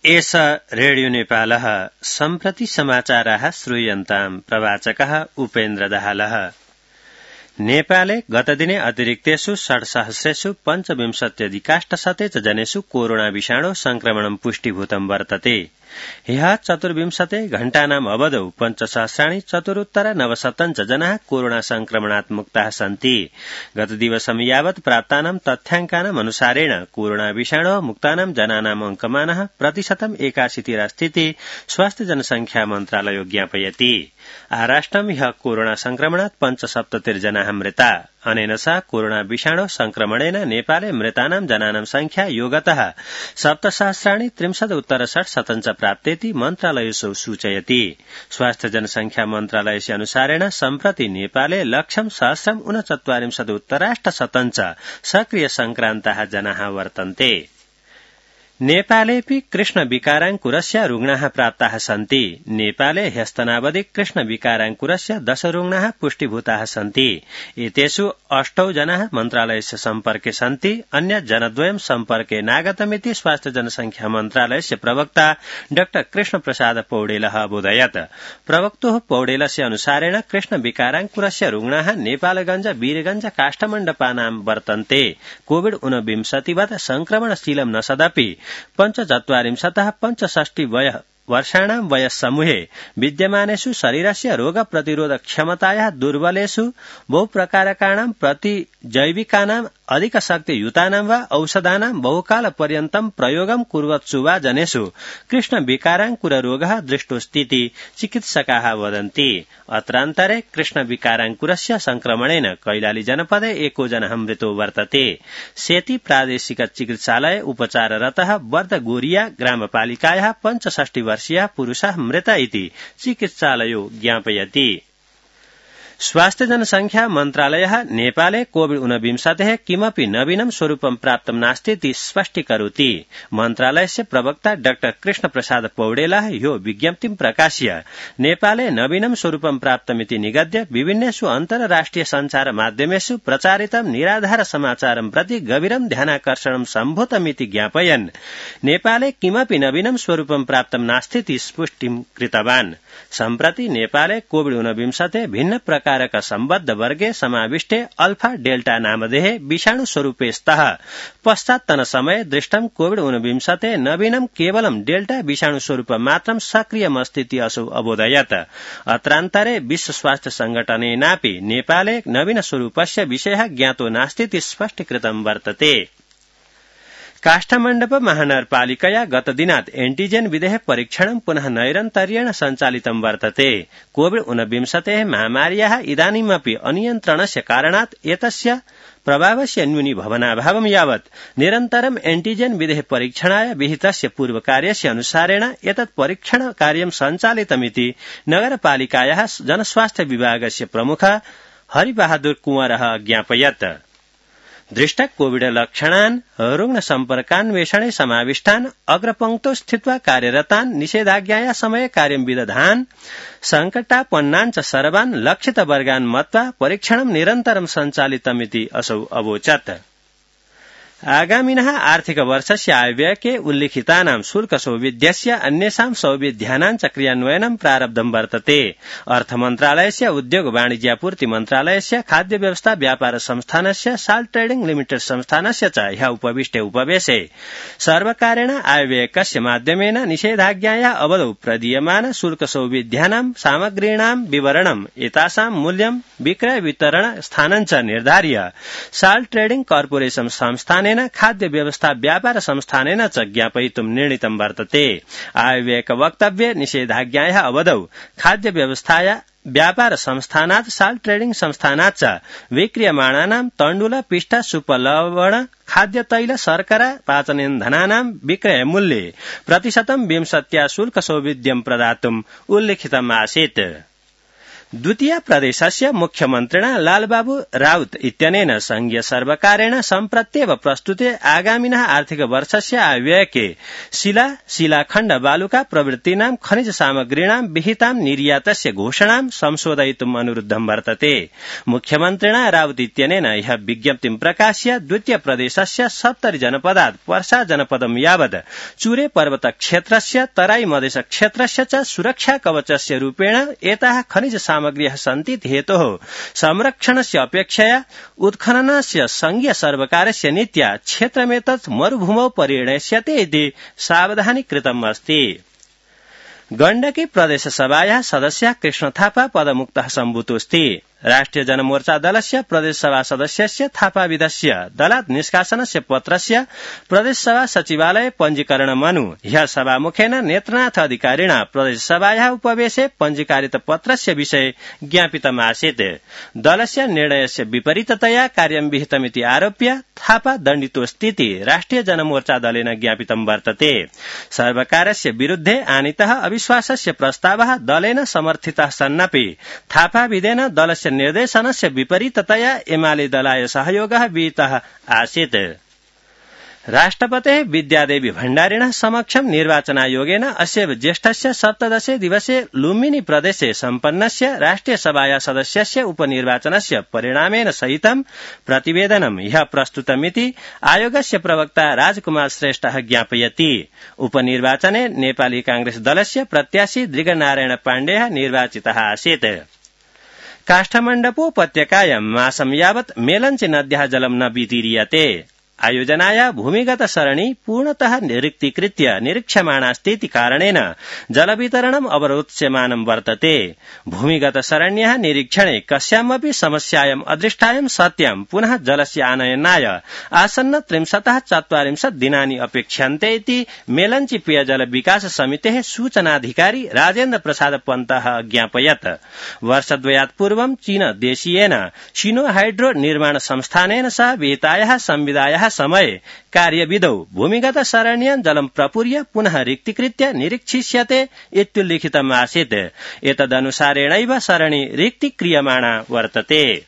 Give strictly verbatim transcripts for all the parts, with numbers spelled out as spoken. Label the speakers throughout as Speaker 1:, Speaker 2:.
Speaker 1: एष रेडियो नेपालः सम्प्रति समाचाराः श्रूयन्ताम् प्रवाचकः उपेन्द्र दाहालः। नेपाले गतदिने अतिरिक्तेषु षड्सहस्रेषु पञ्चविंशत्यधिकाष्टशते च जनेषु कोरोना विषाणो संक्रमणं पुष्टिभूतं वर्तते। ह्यः चतुर्विंशते घण्टानाम् अवधौ पञ्चसहस्राणि चतुरुत्तर नवशतं च जनाः कोरोना संक्रमणात् मुक्ताः सन्ति। गतदिवसं यावत् प्राप्तानां तथ्याङ्कानाम् अनुसारेण कोरोना विषाणो मुक्तानां जनानाम् अंकमानः प्रतिशतम् एकाशीतिरस्तीति स्वास्थ्य जनसंख्या मन्त्रालयो ज्ञापयति। आराष्ट्रं ह्यः कोरोना संक्रमणात् पञ्चसप्ततिर्जनाः मृता। अनेन सह कोरोना विषाणो संक्रमणेन नेपाले मृतानां जनानां संख्या योगतः सप्तसहस्राणि त्रिंशदुत्तर षट्शतं च प्राप्तेति मन्त्रालयेषु सूचयति। स्वास्थ्य जनसंख्या मन्त्रालयस्य अनुसारेण सम्प्रति नेपाले लक्षं सहस्रम् ऊनचत्वारिंशदुत्तराष्टशतं च सक्रिय संक्रान्ताः जनाः वर्तन्ते। नेपालेऽपि कृष्ण विकाराङ्कुरस्य रुग्णाः प्राप्ताः सन्ति। नेपाले ह्यस्तनावधि कृष्ण विकाराङ्कुरस्य दश रुग्णाः पुष्टिभूताः सन्ति। एतेषु अष्टौ जनाः मन्त्रालयस्य सम्पर्के सन्ति। अन्य जनद्वयं सम्पर्के नागतमिति स्वास्थ्य जनसंख्या मन्त्रालयस्य प्रवक्ता डाक्टर कृष्ण प्रसाद पौडेलः अबोधयत्। प्रवक्तुः पौडेलस्य अनुसारेण कृष्ण विकाराङ्कुरस्य रुग्णाः नेपालगंज वीरगंज काष्ठमण्डपानां वर्तन्ते। कोविड ऊनविंशतिवत् संक्रमणशीलं न सदपि पञ्चचत्वारिंशतः पञ्चषष्टि वय वर्षाणां वयस्समूहे विद्यमानेषु शरीरस्य रोग प्रतिरोधक क्षमतायाः दुर्बलेषु बहुप्रकारकाणां प्रतिजैविकानां अधिकशक्तियुतानां वा औषधानां बहुकाल पर्यन्तं प्रयोगं कुर्वत्सु वा जनेषु कृष्ण विकाराङ्कुर रोगः दृष्टोऽस्तीति चिकित्सकाः वदन्ति। अत्रान्तरे कृष्ण विकाराङ्कुरस्य संक्रमणेन कैलाली जनपदे एको जनः मृतो वर्तते। सेती प्रादेशिक चिकित्सालये उपचाररतः वर्दगोरिया ग्रामपालिकायाः पञ्चषष्टि वर्षीयः पुरुषः मृत इति चिकित्सालयो ज्ञापयति। स्वास्थ्य जनसंख्या मन्त्रालयः नेपाले कोविड ऊनविंशतेः किमपि नवीनं स्वरूपं प्राप्तं नास्तीति स्पष्टीकरोति। मन्त्रालयस्य प्रवक्ता डाक्टर कृष्ण प्रसाद पौडेलः ह्यो विज्ञप्तिं प्रकाश्य नेपाले नवीनं स्वरूपं प्राप्तमिति निगद्य विभिन्नेषु अन्तर्राष्ट्रिय सञ्चार माध्यमेषु प्रचारितं निराधार समाचारं प्रति गभीरं ध्यानाकर्षणं सम्भूतमिति ज्ञापयन् नेपाले किमपि नवीनं स्वरूपं प्राप्तं नास्तीति पुष्टिं कृतवान्। सम्प्रति नेपाले कोविड ऊनविंशते भिन्न प्रकारक सम्बद्ध वर्गे समाविष्टे अल्फा डेल्टा नामधेये विषाणु स्वरूपे स्तः। पश्चात्तन समये दृष्टं कोविड ऊनविंशते नवीनं केवलं डेल्टा विषाणु स्वरूपं मात्रं सक्रियमस्तीति असौ अबोधयत्। अत्रान्तरे विश्व स्वास्थ्य संघटनेनापि नेपाले नवीन स्वरूपस्य विषयः ज्ञातो नास्तीति स्पष्टीकृतं वर्तते। काष्ठमण्डप महानगरपालिकया गतदिनात् एन्टिजेन विधेः परीक्षणं पुनः नैरन्तर्येण सञ्चालितं वर्तते। कोविड ऊनविंशतेः महामार्याः इदानीमपि अनियन्त्रणस्य कारणात् एतस्य प्रभावस्य न्यूनीभवनाभावं यावत् निरन्तरं एन्टिजेन विधेः परीक्षणाय विहितस्य पूर्वकार्यस्य अनुसारेण एतत् परीक्षण कार्यं सञ्चालितमिति नगरपालिकायाः जनस्वास्थ्य विभागस्य प्रमुख हरिबहादुर कुंवरः ज्ञापयत्। दृष्ट कोविड लक्षणान् रुग्ण सम्पर्कान्वेषणे समाविष्टान् अग्रपङ्क्तौ स्थित्वा कार्यरतान् निषेधाज्ञाया समये कार्यं विदधान् संकटापन्नान् च सर्वान् लक्षित वर्गान् मत्वा परीक्षणं निरन्तरं सञ्चालितमिति असौ अवोचत्। आगामिनः आर्थिक वर्षस्य आयव्ययके उल्लिखितानां शुल्क सौविध्यस्य अन्येषां सौविध्यानां च क्रियान्वयनं प्रारब्धं वर्तते। अर्थमन्त्रालयस्य उद्योग वाणिज्यापूर्ति मन्त्रालयस्य खाद्य व्यवस्था व्यापार संस्थानस्य साल्ट ट्रेडिंग लिमिटेड संस्थानस्य च ह्यः उपविष्टे उपवेशे सर्वकारेण आयव्ययकस्य माध्यमेन निषेधाज्ञाया अवधौ प्रदीयमान शुल्क सौविध्यानां सामग्रीणां विवरणम् एतासां मूल्यं विक्रय वितरण स्थानं च निर्धार्य साल्ट ट्रेडिंग कार्पोरेशन संस्थान खाद्य व्यवस्था व्यापार संस्थानेन च ज्ञापयितुं निर्णीतं वर्तते। आयव्ययक वक्तव्ये निषेधाज्ञायाः अवधौ खाद्य व्यवस्थाया व्यापार संस्थानात् साल्ट ट्रेडिंग संस्थानात् च विक्रियमाणानां तण्डुल पिष्ट सुपलवण खाद्य तैल शर्करा पाचनेन्धनानां विक्रय मूल्ये प्रतिशतं विंशत्या शुल्क सौविध्यं प्रदातुम् उल्लिखितम् आसीत्। द्वितीय प्रदेशस्य मुख्यमन्त्रिणा लालबाबू राउत इत्यनेन संघीय सर्वकारेण सम्प्रत्येव प्रस्तुते आगामिनः आर्थिक वर्षस्य आयव्ययके शिला शिलाखण्ड बालुका प्रवृत्तीनां खनिज सामग्रीणां विहितां निर्यातस्य घोषणां संशोधयितुम् अनुरुद्धं वर्तते। मुख्यमन्त्रिणा राउत इत्यनेन ह्यः विज्ञप्तिं प्रकाश्य द्वितीय प्रदेशस्य सप्तरि जनपदात् वर्षा जनपदं यावत् चूरे पर्वत क्षेत्रस्य तराई मधेश क्षेत्रस्य च सुरक्षा कवचस्य रूपेण एताः खनिज सामग्र्यः सन्ति हेतोः संरक्षणस्य अपेक्षया उत्खननस्य संघीय सर्वकारस्य नीत्या क्षेत्रमेतत् मरुभूमौ परिणश्यते इति सावधानी कृतम् अस्ति। गण्डकी प्रदेशसभायाः सदस्यः कृष्ण थापा पदमुक्तः सम्भूतोऽस्ति। राष्ट्रिय जनमोर्चा दलस्य प्रदेशसभा सदस्यस्य थापाविदस्य दलात् निष्कासनस्य पत्रस्य प्रदेशसभा सचिवालय पञ्जीकरणमनु ह्यः सभामुखेन नेत्रनाथ अधिकारिणा प्रदेशसभायाः उपवेशे पञ्जीकारित पत्रस्य विषये ज्ञापितमासीत्। दलस्य निर्णयस्य विपरीततया कार्यं विहितमिति आरोप्य थापा दण्डितोऽस्तीति राष्ट्रिय जनमोर्चा दलेन ज्ञापितं वर्तते। सर्वकारस्य विरुद्धे आनीतः अविश्वासस्य प्रस्तावः दलेन समर्थितः सन्नपि थापाविदेन दलस्य निर्देशनस्य विपरीततया एमाले दलाय सहयोगः विहितः आसीत्। राष्ट्रपतेः विद्यादेवी भण्डारिणः समक्षं निर्वाचनायोगेन अस्यैव ज्येष्ठस्य सप्तदशे दिवसे लुम्बिनी प्रदेशे सम्पन्नस्य राष्ट्रिय सभाया सदस्यस्य उपनिर्वाचनस्य परिणामेन सहितं प्रतिवेदनं ह्यः प्रस्तुतमिति आयोगस्य प्रवक्ता राजकुमार श्रेष्ठः ज्ञापयति। उपनिर्वाचने नेपाली कांग्रेस दलस्य प्रत्याशी दृगनारायण पाण्डेयः निर्वाचितः आसीत्। काष्ठमण्डपोपत्यकायां मासं यावत् मेलञ्च नद्याः जलं न वितीर्यते। आयोजनाया भूमिगत सरणी पूर्णतः रिक्तीकृत्य निरीक्ष्यमाणास्तीति कारणेन जलवितरणम् अवरोध्यमानं वर्तते। भूमिगत सरण्यः निरीक्षणे कस्यामपि समस्यायाम् अदृष्टायां सत्यां पुनः जलस्य आनयनाय आसन्न त्रिंशतः चत्वारिंशत् दिनानि अपेक्ष्यन्ते इति मेलञ्ची पेयजल विकास समितेः सूचनाधिकारी राजेन्द्र प्रसाद पन्तः ज्ञापयत्। वर्षद्वयात् पूर्वं चीन देशीयेन शिनो हाइड्रो निर्माण संस्थानेन सह विहितायाः संविदायाः समये कार्यविधौ भूमिगत सरण्यां जलं प्रपूर्य पुनः रिक्तीकृत्य निरीक्षिष्यते इत्युल्लिखितम् आसीत्। एतदनुसारेणैव सरणी रिक्तीक्रियमाणा वर्तते।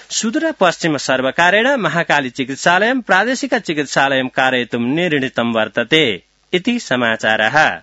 Speaker 1: सुदूर पश्चिम सर्वकारेण महाकाली चिकित्सालयं प्रादेशिक चिकित्सालयं कारयितुं निर्णीतं वर्तते इति समाचारः।